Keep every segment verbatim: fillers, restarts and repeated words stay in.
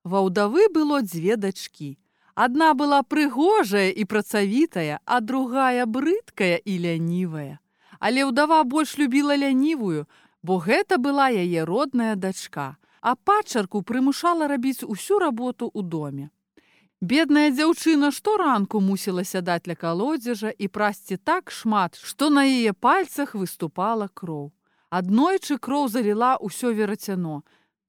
Ва ўдавы было дзве дачкі. Адна была прыгожая і працавітая, а другая брыдкая і лянівая. Але ўдава больш любіла лянівую, бо гэта была яе родная дачка, а падчарку прымушала рабіць усю работу ў доме. Бедная дзяўчына шторанку мусіла сядаць ля калодзежа і прасці так шмат, што на яе пальцах выступала кроў. Аднойчы кроў заліла ўсё верацяно.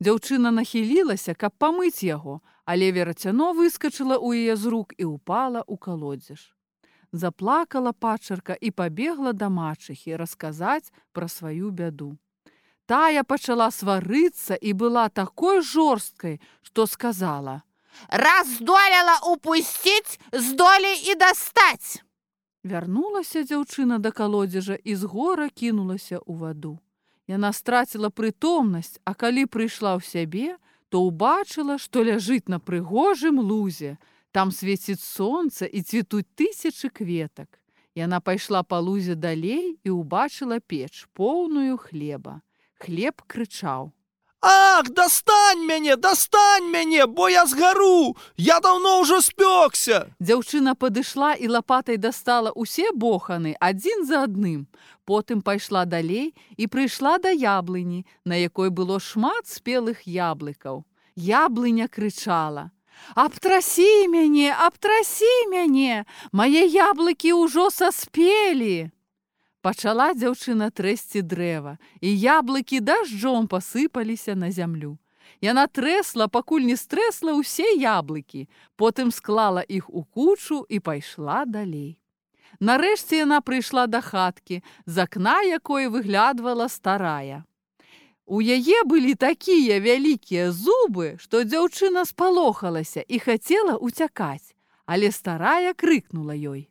Дзяўчына нахілілася, каб памыць яго, але верацяно выскачыла ў яе з рук і ўпала ў калодзеж. Заплакала падчарка і пабегла да мачыхі расказаць пра сваю бяду. Тая пачала сварыцца і была такой жорсткай, што сказала: «Раз здолела упусціць, здолей і дастаць!» Вярнулася дзяўчына да калодзежа і з гора кінулася ў ваду. Яна страціла прытомнасць, а калі прыйшла ў сябе, то ўбачыла, што ляжыць на прыгожым лузе. Там свеціць сонца і цвітуць тысячы кветак. Яна пайшла па лузе далей і ўбачыла печ, поўную хлеба. Хлеб крычаў: «Ах, дастань мяне, дастань мяне, бо я згару! Я даўно ўжо спёкся!» Дзяўчына падышла і лапатай дастала ўсе боханы адзін за адным. Потым пайшла далей і прыйшла да яблыні, на якой было шмат спелых яблыкаў. Яблыня крычала: «Абтрасі мяне, абтрасі мяне! Мае яблыкі ўжо саспелі!» Пачала дзяўчына трэсці дрэва, і яблыкі дажджом пасыпаліся на зямлю. Яна трэсла, пакуль не стрэсла ўсе яблыкі, потым склала іх у кучу і пайшла далей. Нарэшце яна прыйшла да хаткі, з акна якой выглядвала старая. У яе былі такія вялікія зубы, што дзяўчына спалохалася і хацела ўцякаць, але старая крыкнула ёй: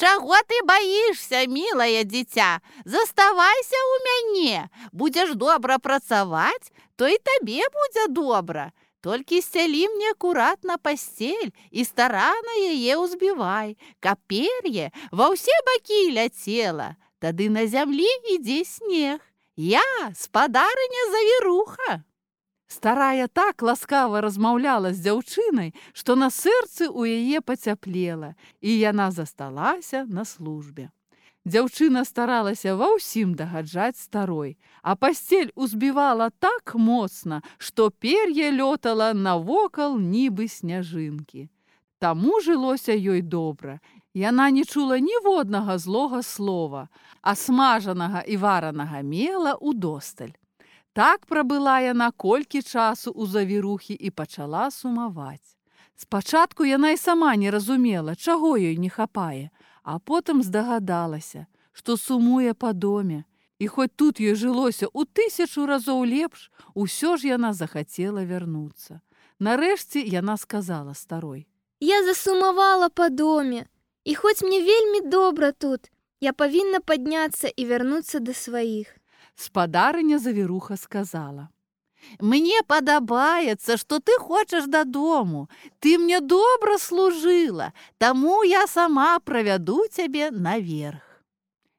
«Чаго ты баішся, мілае дзіця? Заставайся ў мяне. Будзеш добра працаваць, то і табе будзе добра. Толькі сцялі мне акуратна пасцель і старана яе ўзбівай, каб пер'е ва ўсе бакі ляцела. Тады на зямлі ідзе снег. Я спадарыня Завіруха». Старая так ласкава размаўляла з дзяўчынай, што на сэрцы ў яе пацяплела, і яна засталася на службе. Дзяўчына старалася ва ўсім дагаджаць старой, а пасцель узбівала так моцна, што пер'е лётала навокал нібы сняжынкі. Таму жылося ёй добра. Яна не чула ніводнага злога слова, а смажанага і варанага мела удосталь. Так прабыла яна колькі часу ў Завірухі і пачала сумаваць. Спачатку яна і сама не разумела, чаго ёй не хапае, а потым здагадалася, што сумуе па доме. І хоць тут ёй жылося ў тысячу разоў лепш, усё ж яна захацела вярнуцца. Нарэшце яна сказала старой: «Я засумавала па доме, і хоць мне вельмі добра тут, я павінна падняцца і вярнуцца да сваіх». Спадарыня Завіруха сказала: «Мне падабаецца, што ты хочаш дадому. Ты мне добра служыла, таму я сама правяду цябе наверх».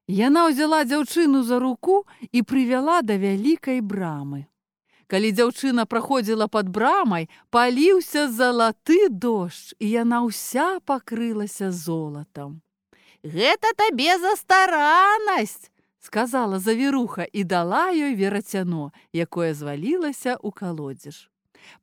Яна ўзяла дзяўчыну за руку і прывяла да вялікай брамы. Калі дзяўчына праходзіла пад брамай, паліўся залаты дождж, і яна ўся пакрылася золатам. «Гэта табе за стараннасць», сказала Завіруха і дала ёй верацяно, якое звалілася ў калодзеж.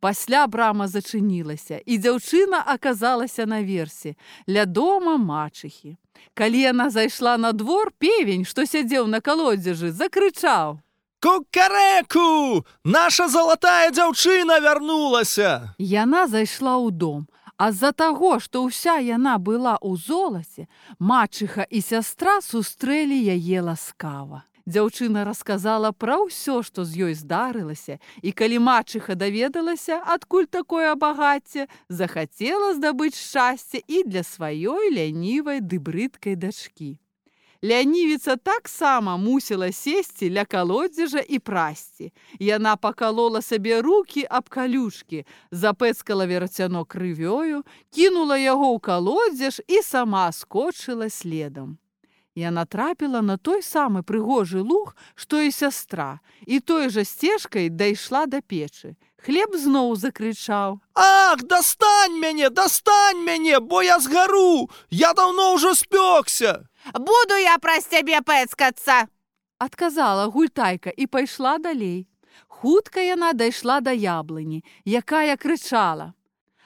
Пасля брама зачынілася, і дзяўчына аказалася наверсе, ля дома мачыхі. Калі яна зайшла на двор, певень, што сядзеў на калодзежы, закрычаў: «Кукарэку! Наша залатая дзяўчына вярнулася!» Яна зайшла ў дом, а з-за таго, што ўся яна была ў золаце, мачыха і сястра сустрэлі яе ласкава. Дзяўчына расказала пра ўсё, што з ёй здарылася, і калі мачыха даведалася, адкуль такое багацце, захацела здабыць шчасце і для сваёй лянівай ды брыдкай дачкі. Лянівіца таксама мусіла сесці ля калодзежа і прасці. Яна пакалола сабе рукі аб калюшкі, запэцкала верацяно крывёю, кінула яго ў калодзеж і сама скочыла следам. Яна трапіла на той самы прыгожы луг, што і сястра, і той жа сцежкай дайшла да печы. Хлеб зноў закрычаў: Ах, дастань мяне, дастань мяне, бо я згару! Я даўно ўжо спёкся! Буду я праз цябе пэцкацца. Адказала гультайка і пайшла далей. Хутка яна дайшла да яблыні, якая крычала: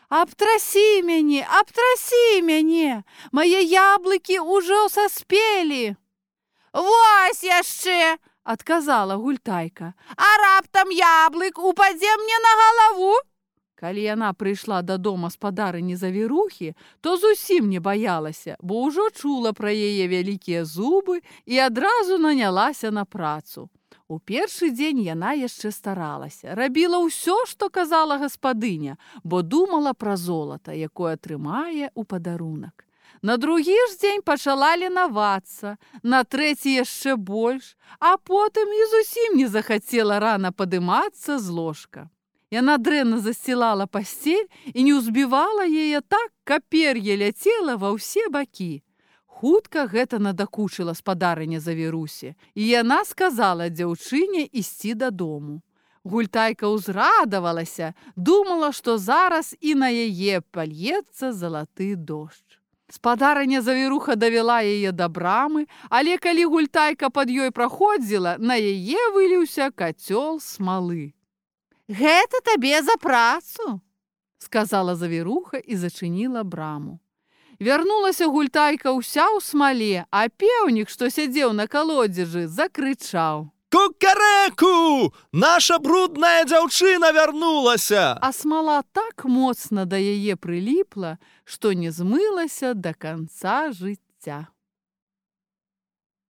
«Абтрасі мяне, абтрасі мяне! Мае яблыкі ўжо саспелі!» Вось яшчэ, адказала гультайка. а раптам яблык упадзе мне на галаву? Калі яна прыйшла дадому спадарыні завірухі, то зусім не баялася, бо ўжо чула пра яе вялікія зубы і адразу нанялася на працу. У першы дзень яна яшчэ старалася, рабіла ўсё, што казала гаспадыня, бо думала пра золата, якое атрымае ў падарунак. На другі ж дзень пачала ленавацца, на трэці яшчэ больш, а потым і зусім не захацела рана падымацца з ложка. Яна дрэнна засцілала пасцель і не ўзбівала яе так, каб пер'е ляцела ва ўсе бакі. Хутка гэта надакучыла спадарыня завірусі, і яна сказала дзяўчыне ісці дадому. Гультайка ўзрадавалася, думала, што зараз і на яе пальецца залаты дождж. Спадарыня завіруха давяла яе да брамы, але калі гультайка пад ёй праходзіла, на яе выліўся кацёл смалы. Гэта табе за працу, сказала завіруха і зачыніла браму. Вярнулася гультайка ўся ў смале, а пеўнік, што сядзеў на калодзежы, закрычаў: Кукарэку! Наша брудная дзяўчына вярнулася! А смала так моцна да яе прыліпла, што не змылася да канца жыцця.